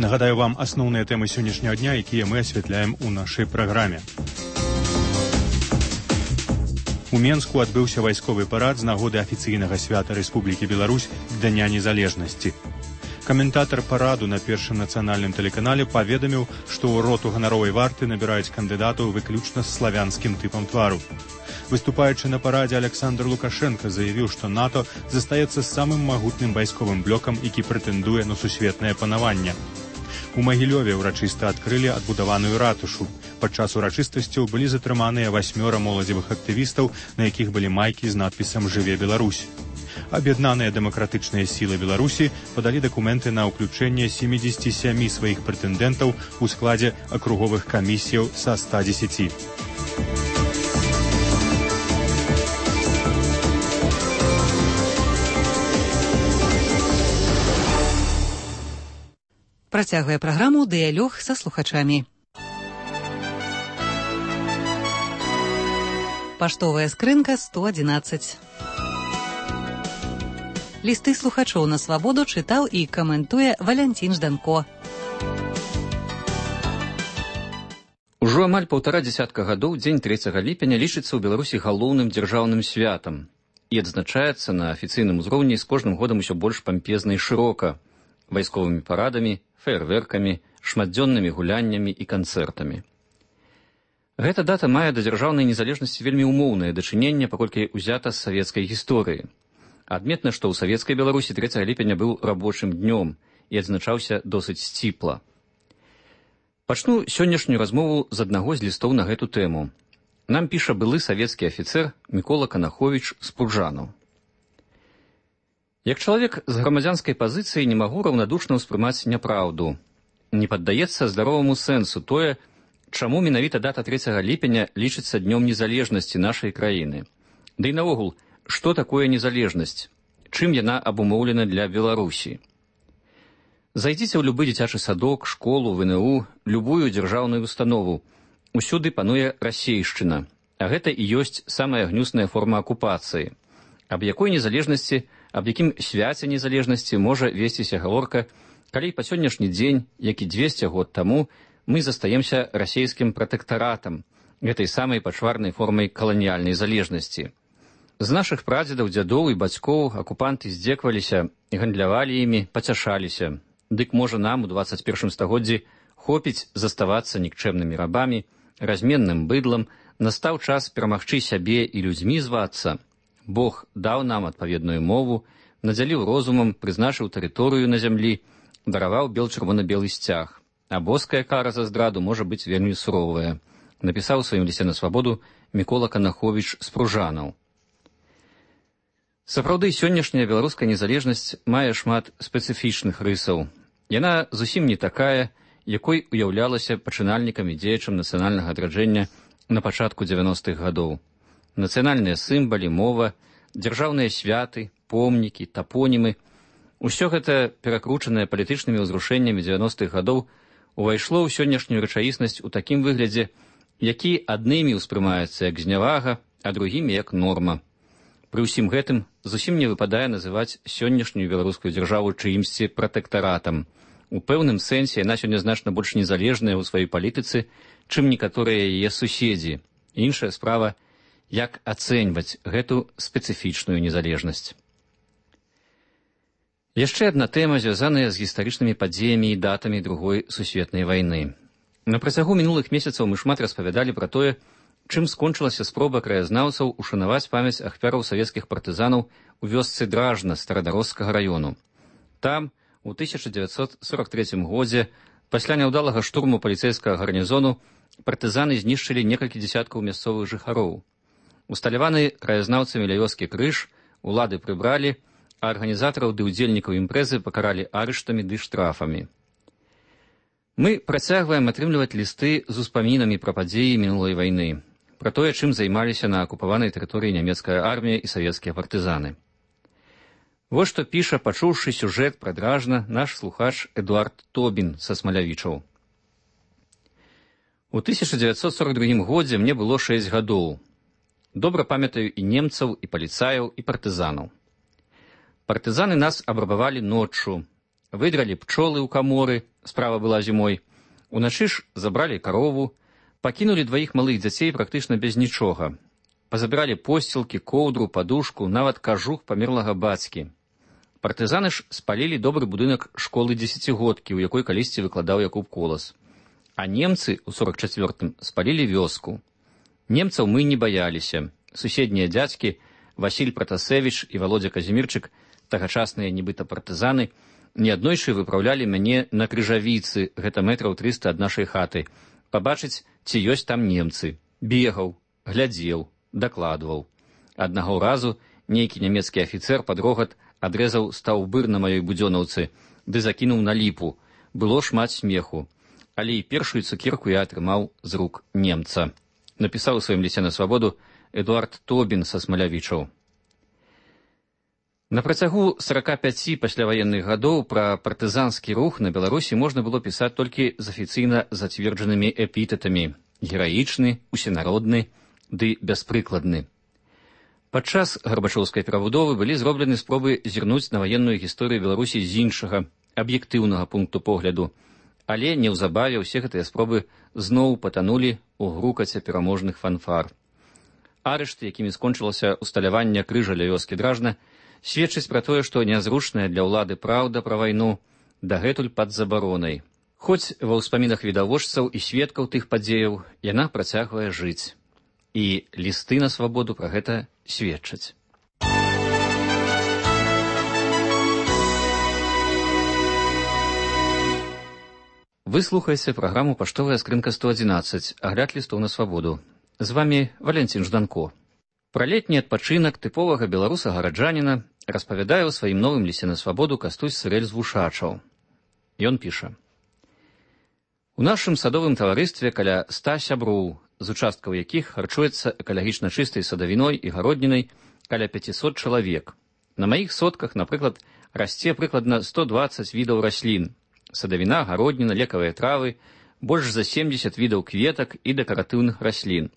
Нагадаю вам асноўныя тэмы сённяшняга дня, якія мы асвятляем у нашай праграме. У Менску адбыўся вайсковы парад з нагоды афіцыйнага свята Рэспублікі Беларусь Дня незалежнасці. Каментатар параду на першым нацыянальным тэлеканале паведаміў, што ў роту ганаровай варты набіраюць кандыдатаў выключна з славянскім тыпам твару. Выступаючы на парадзе, Александр Лукашенко заявіў, што НАТО застаецца самым магутным вайсковым блокам, які прэтэндуе на сусветнае панаванне. У Магілёве ўрачыста адкрылі адбудаваную ратушу. Падчас урачыстасцяў былі затрыманыя 8 моладзевых актывістаў, на якіх былі майкі з надпісам «Жыве Беларусь». Аб'яднаныя дэмакратычныя сілы Беларусі падалі дакументы на ўключэнне 77 сваіх прэтэндэнтаў у складзе акруговых камісіяў са 110. Працягвае праграму «Дыялог са слухачамі». Паштовая скрынка 111. Лісты слухачоў на свабоду чытаў і каментуе Валянцін Жданко. Ужо амаль 1,5 дзесятка гадоў дзень 3 ліпеня лічыцца ў Беларусі галоўным дзяржаўным святам і адзначаецца на афіцыйным узроўні з кожным годам усё больш пампезна і шырока, вайсковымі парадамі, феерверкамі, шматдзённымі гуляннямі і канцэртамі. Гэта дата мае да дзяржаўнай незалежнасці вельмі умоўнае дачыненне, паколькі ўзята з савецкай гісторыі. Адметна, што ў савецкай Беларусі 3 ліпеня быў рабочым днём і адзначаўся досыць сціпла. Пачну сённяшнюю размову з аднаго з лістоў на гэту тэму. Нам піша былы савецкі афіцэр Мікола Канаховіч з Пружану. Як чалавек з грамадзянскай пазіцыі не магу раўнадушна ўспрымаць няпраўду. Не паддаецца здароваму сэнсу тое, чаму менавіта дата 3 ліпеня лічыцца днём незалежнасці нашай краіны. Ды і наогул, што такое незалежнасць? Чым яна абумоўлена для Беларусі? Зайдзіце ў любы дзіцячы садок, школу, ВНУ, любую дзяржаўную установу. Усюды пануе расейшчына, а гэта і ёсць самая гнюсная форма акупацыі. Аб якой незалежнасці, аб якім свяце незалежнасці можа весціся гаворка, калі па сённяшні дзень, як і 200 год таму, мы застаемся расейскім пратэктаратам, гэтай самай пачварнай формай каланіяльнай залежнасці. З нашых прадзедаў, дзядоў і бацькоў акупанты здзекваліся, гандлявалі імі, пацяшаліся. Дык можа нам у 21 стагоддзі хопіць заставацца нікчэмнымі рабамі, разменным быдлам, настаў час перамагчы сябе і людзьмі звацца. Бог даў нам адпаведную мову, надзяліў розумам, прызначыў тэрыторыю на зямлі, дараваў бел-чырвона-белы сцяг. А боская кара за здраду можа быць вельмі суровая, напісаў у сваім лісце на свабоду Мікола Канаховіч з Пружанаў. Сапраўды, сённяшняя беларуская незалежнасць мае шмат спецыфічных рысаў. Яна зусім не такая, якой уяўлялася пачынальнікам і дзеячам нацыянальнага адраджэння на пачатку 90-х гадоў. Нацыянальныя сімвалы, мова, дзяржаўныя святы, помнікі, тапонімы – усё гэта, перакручанае палітычнымі ўзрушэннямі 90-х гадоў, увайшло ў сённяшнюю рэчаіснасць у такім выглядзе, які аднымі ўспрымаецца як знявага, а другімі як норма. Пры ўсім гэтым зусім не выпадае называць сённяшнюю беларускую дзяржаву чыімсьці пратэктаратам. У пэўным сэнсе яна сёння значна больш незалежная ў сваёй палітыцы, чым некаторыя яе суседзі. Іншая справа, як ацэньваць гэту спецыфічную незалежнасць. Яшчэ адна тэма, звязаная з гістарычнымі падзеямі і датамі Другой сусветнай вайны. На працягу мінулых месяцаў мы шмат распавядалі пра тое, чым скончылася спроба краязнаўцаў ушанаваць памяць ахвяраў савецкіх партызанаў у вёсцы Дражна Старадарожскага раёну. Там, у 1943 годзе, пасля няўдалага штурму паліцэйскага гарнізону, партызаны знішчылі некалькі дзесяткаў мясцовых жыхароў. Усталяваны краязнаўцамі ля вёскі крыж улады прыбралі, а арганізатараў ды ўдзельнікаў імпрэзы пакаралі арыштамі ды штрафамі. Мы працягваем атрымліваць лісты з успамінамі пра падзеі мінулай вайны, пра тое, чым займаліся на акупаванай тэрыторыі нямецкая армія і савецкія партызаны. Вось што піша, пачуўшы сюжэт пра Дражна, наш слухач Эдуард Тобін са Смалявічаў. У 1942 годзе мне было 6 гадоў. Добра памятаю і немцаў, і паліцаяў, і партызанаў. Партызаны нас абрабавалі ноччу, выдралі пчолы ў каморы, справа была зімой, уначы ж забралі карову, пакінулі дваіх малых дзяцей практычна без нічога. Пазабіралі посцілкі, коўдру, падушку, нават кажух памерлага бацькі. Партызаны ж спалілі добры будынак школы дзесяцігодкі, у якой калісьці выкладаў Якуб Колас. А немцы ў 44-м спалілі вёску. Немцаў мы не баяліся. Суседнія дзядзькі Васіль Пратасевіч і Володя Казімірчык, тагачасныя нібыта партызаны, неаднойчы выпраўлялі мяне на крыжавіцы, гэта метраў 300 ад нашай хаты, пабачыць, ці ёсць там немцы. Бегаў, глядзеў, дакладваў. Аднаго разу нейкі нямецкі афіцэр пад рогат адрэзаў стаўбыр на маёй будзёнаўцы, ды закінуў на ліпу. Было шмат смеху. Але і першую цукерку я атрымаў з рук немца. Напісаў у сваім лісце на свабоду Эдуард Тобін са Смалявічаў. На працягу 45 пасляваенных гадоў пра партызанскі рух на Беларусі можна было пісаць толькі з афіцыйна зацверджанымі эпітэтамі: гераічны, усенародны ды бяспрыкладны. Падчас гарбачоўскай перабудовы былі зроблены спробы зірнуць на ваенную гісторыю Беларусі з іншага, аб'ектыўнага пункту погляду, але неўзабаве ўсе гэтыя спробы зноў патанулі ў грукаце пераможных фанфар. Арышты, якімі скончылася усталяванне крыжа ля вёскі Дражна, сведчыць пра тое, што нязручная для ўлады праўда пра вайну дагэтуль пад забаронай. Хоць ва ўспамінах відавочцаў і сведкаў тых падзеяў яна працягвае жыць. І лісты на свабоду пра гэта сведчаць. Вы слухаеце праграму «Паштовая скрынка 111», агляд лістоў на свабоду. З вамі Валянцін Жданко. Пра летні адпачынак тыповага беларуса-гараджаніна распавядае ў сваім новым лісце на свабоду Кастусь Сырэль з Вушачаў. Ён піша: У нашым садовым таварыстве каля 100 сяброў, з участкаў якіх харчуецца экалагічна чыстай садавіной і гароднінай каля 500 чалавек. На маіх сотках, напрыклад, расце прыкладна 120 відаў раслін: садавіна, гародніна, лекавыя травы, больш за 70 відаў кветак і дэкаратыўных раслін.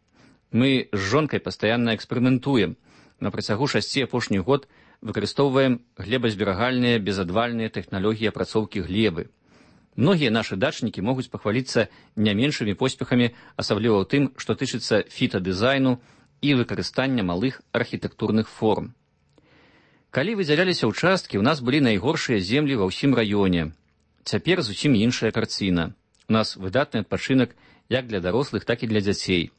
Мы з жонкай пастаянна эксперыментуем. На працягу 6 апошніх год выкарыстоўваем глебазберагальныя безадвальныя тэхналогіі апрацоўкі глебы. Многія нашы дачнікі могуць пахваліцца не меншымі поспехамі, асабліва ў тым, што тычыцца фітадызайну і выкарыстання малых архітэктурных форм. Калі выдзяляліся ўчасткі, у нас былі найгоршыя землі ва ўсім раёне. Цяпер зусім іншая карціна. У нас выдатны адпачынак як для дарослых, так і для дзяцей.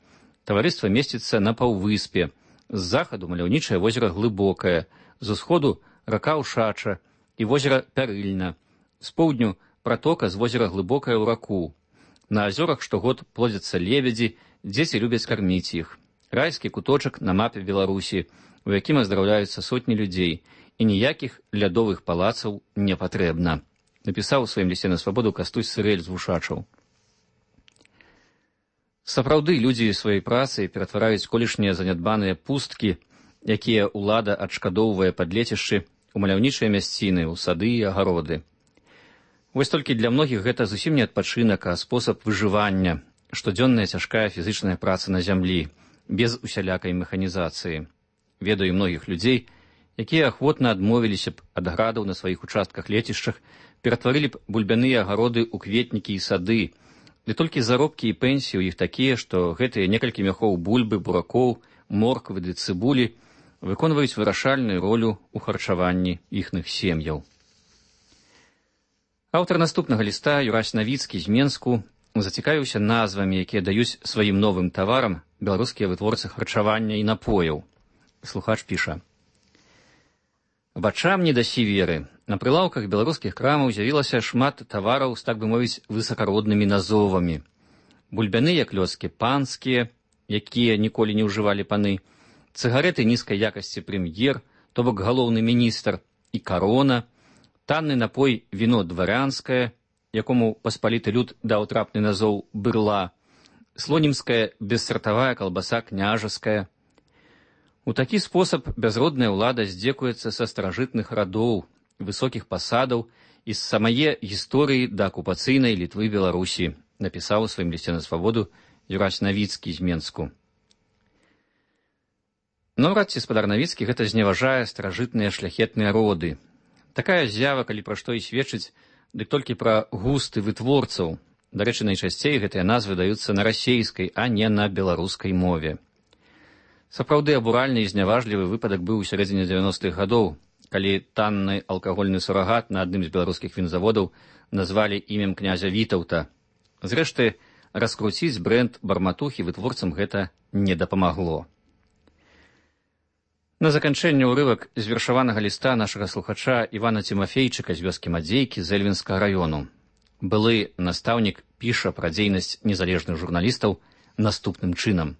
Таварыства месціцца на паўвыспе. З захаду маляўнічае возера Глыбокае, з усходу рака Ушача і возера Пярыльна, з поўдню пратока з возера Глыбокае ў раку. На азёрах штогод плодзяцца лебедзі, дзеці любяць карміць іх. Райскі куточак на мапе Беларусі, у якім аздараўляюцца сотні людзей, і ніякіх лядовых палацаў не патрэбна. Напісаў у сваім лісце на свабоду Кастусь Сырэль з Вушачаў. Сапраўды, людзі сваёй працай ператвараюць колішнія занядбаныя пусткі, якія ўлада адшкадоўвае пад лецішчы, у маляўнічыя мясціны, у сады і агароды. Вось толькі для многіх гэта зусім не адпачынак, а спосаб выжывання, штодзённая цяжкая фізычная праца на зямлі, без усялякай механізацыі. Ведаю многіх людзей, якія ахвотна адмовіліся б ад градаў на сваіх участках лецішчах, ператварылі б бульбяныя агароды ў кветнікі і сады, ды толькі заробкі і пенсіі ў іх такія, што гэтыя некалькі мяхоў бульбы, буракоў, морквы ды цыбулі выконваюць вырашальную ролю ў харчаванні іхных сем'яў. Аўтар наступнага ліста, Юрась Навіцкі з Менску, зацікавіўся назвамі, якія даюць сваім новым таварам беларускія вытворцы харчавання і напояў. Слухач піша: «Вачам не дасі веры. На прылаўках беларускіх крамаў з'явілася шмат тавараў з, так бы мовіць, высакароднымі назовамі. Бульбяныя клёцкі панскія, якія ніколі не ўжывалі паны, цыгареты нізкай якасці прэм'ер, то бок галоўны міністр, і карона, танны напой віно дварянскае, якому паспаліты люд даў трапны назоў бырла, слонімская бессартавая калбаса княжаская. У такі спосаб бязродная ўлада здзекуецца са старажытных радоў, высокіх пасадаў і з самае гісторыі да акупацыйнай Літвы і Беларусі, напісаў у сваім лісце на свабоду Юрась Навіцкі з Менску. Наўрад ці спадар Навіцкі гэта зневажае старажытныя шляхетныя роды. Такая з'ява, калі пра што і сведчыць, дык толькі пра густы вытворцаў. Дарэчы, найчасцей гэтыя назвы даюцца на расейскай, а не на беларускай мове. Сапраўды абуральны і зняважлівы выпадак быў у сярэдзіне 90-х гадоў, калі танны алкагольны сурагат на адным з беларускіх вінзаводаў назвалі імем князя Вітаўта. Зрэшты, раскруціць брэнд барматухі вытворцам гэта не дапамагло. На заканчэнне ўрывак з вершаванага ліста нашага слухача Івана Цімафейчыка з вёскі Мадзейкі з Эльвінскага раёну. Былы настаўнік піша пра дзейнасць незалежных журналістаў наступным чынам.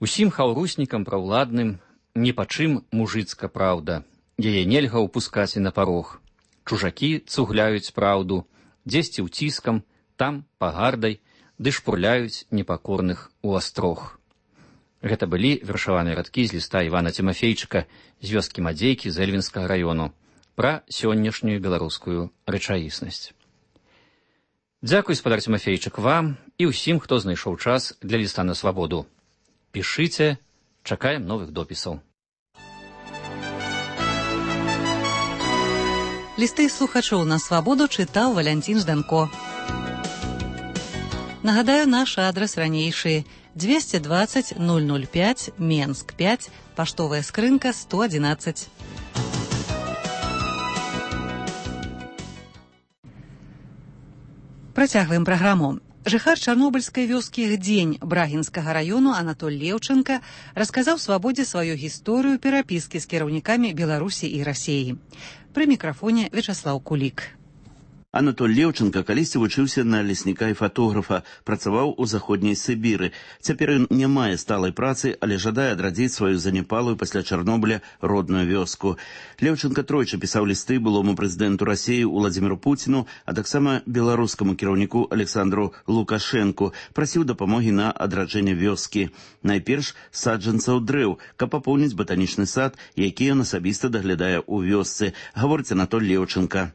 Усім хаўруснікам праўладным ні па чым мужыцка праўда. Яе нельга ўпускаць і на парог. Чужакі цугляюць праўду, дзесьці ўціскам, там пагардай, ды шпурляюць непакорных у астрог. Гэта былі вершаваныя радкі з ліста Івана Цімафейчыка з вёскі Мадзейкі з Эльвінскага раёну пра сённяшнюю беларускую рэчаіснасць. Дзякуй, спадар Цімафейчык, вам і ўсім, хто знайшоў час для ліста на свабоду. Пішыце, чакаем новых допісаў. Лісты слухачоў на свабоду чытаў Валянцін Жданко. Нагадаю, наш адрас ранейшы: 220 005, Менск 5, паштовая скрынка 111. Працягваем праграму. Жыхар чарнобыльскай вёскі Гдзень Брагінскага раёну Анатоль Леўченка расказаў свабодзе сваю гісторыю перапіскі з кіраўнікамі Беларусі і Расіі. Пры мікрафоне Вячаслаў Кулік. Анатоль Леўченка калісьці вучыўся на лесніка і фатографа, працаваў у заходняй Сібіры. Цяпер ён не мае сталай працы, але жадае адрадзіць сваю заняпалую пасля Чарнобыля родную вёску. Леўченка тройчы пісаў лісты былому прэзідэнту Расіі Уладзіміру Пуціну, а таксама беларускаму кіраўніку Александру Лукашэнку, прасіў дапамогі на адраджэнне вёскі. Найперш саджанцаў дрэў, каб папоўніць батанічны сад, які ён асабіста даглядае ў вёсцы, гаворыць Анатоль Леўченка.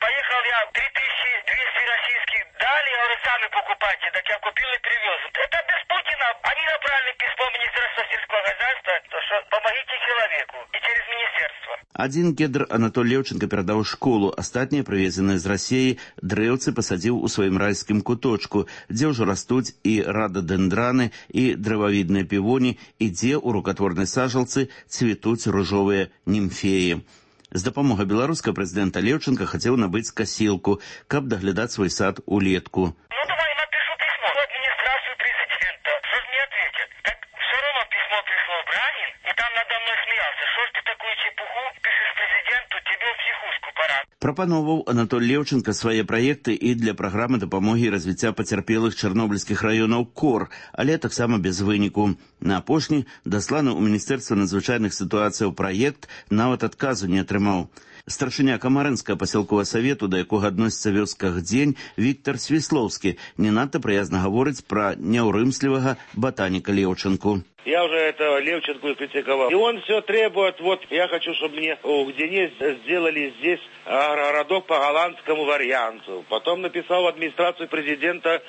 Поехал я 3200 российских дали, я говорю, сами покупайте, так я купил и привез. Это без Путина. Они направили письмо в Министерство сельского хозяйства, что помогите человеку, и через министерство. Один кедр Анатоль Леўченка перадаў школу, астатнія, прывезеныя з Расіі, дрэўцы пасадзіў у сваім райскім куточку, дзе ўжо растуць і рададэндраны, і дрэвавідныя півоні, і дзе ў рукатворнай сажалцы цвітуць ружовыя німфеі. З дапамогай беларускага прэзідэнта Леўченка хацеў набыць касілку, каб даглядаць свой сад улетку. Ну, давай напишу письмо в администрацию президента. Что ж мне ответят? Так все равно письмо пришло в Брагин, и там надо мной смеялся. Что ж ты такую чепуху пишешь президенту, тебе в психушку пора. Прапановаў Анатоль Леўченка свае праекты і для праграмы дапамогі і развіцця пацярпелых чарнобыльскіх раёнаў КОР, але таксама без выніку. На апошні дасланы ў Міністэрства надзвычайных сітуацыяў праект нават адказу не атрымаў. Старшыня Камарынскага пасялковага савету, да якога адносіцца вёска Гдзень, Віктор Свіслоўскі, не надта прыязна гаворыць пра няўрымслівага ботаніка Леўченку. Я уже этого Левченко критиковал. И он все требует, вот я хочу, чтобы мне в Гдене сделали здесь городок по голландскому варианту. Потом написал в администрацию президента,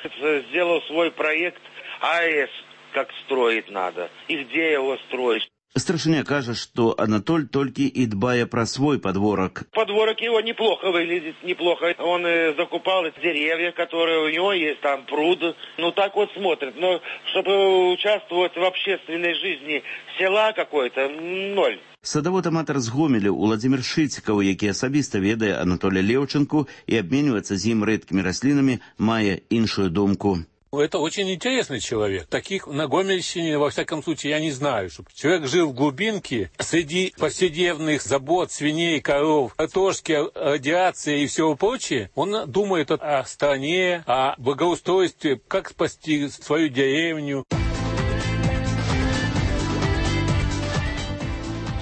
сделал свой проект АЭС, как строить надо и где его строить. Старшыня кажа, што Анатоль толькі і дбае пра свой подворок. Подворок его неплохо выглядит, неплохо. Он закупал деревья, которые у него есть, там пруд. Ну так вот смотрит. Но чтобы участвовать в общественной жизни села какой-то, ноль. Садавод-аматар з Гомеля Уладзімір Шыцікаў, які асабіста ведае Анатоля Леўченку і абменьваецца з ім рэдкімі раслінамі, мае іншую думку. Это очень интересный человек. Таких на Гомельщине, во всяком случае, я не знаю. Чтобы человек жил в глубинке, среди повседневных забот, свиней, коров, картошки, радиации и всего прочего. Он думает о стране, о благоустройстве, как спасти свою деревню.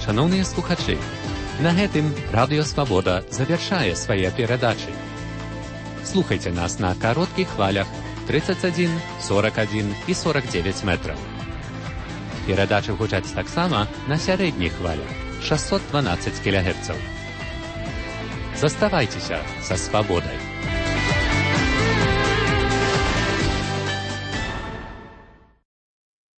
Шановні слухачі, на гэтым Радыё Свабода завяршае свае перадачы. Слухайте нас на кароткіх хвалях 31, 41 і 49 метраў. Перадачы гучаць таксама на сярэдніх хвалях 612 кГц. Заставайцеся са свабодай.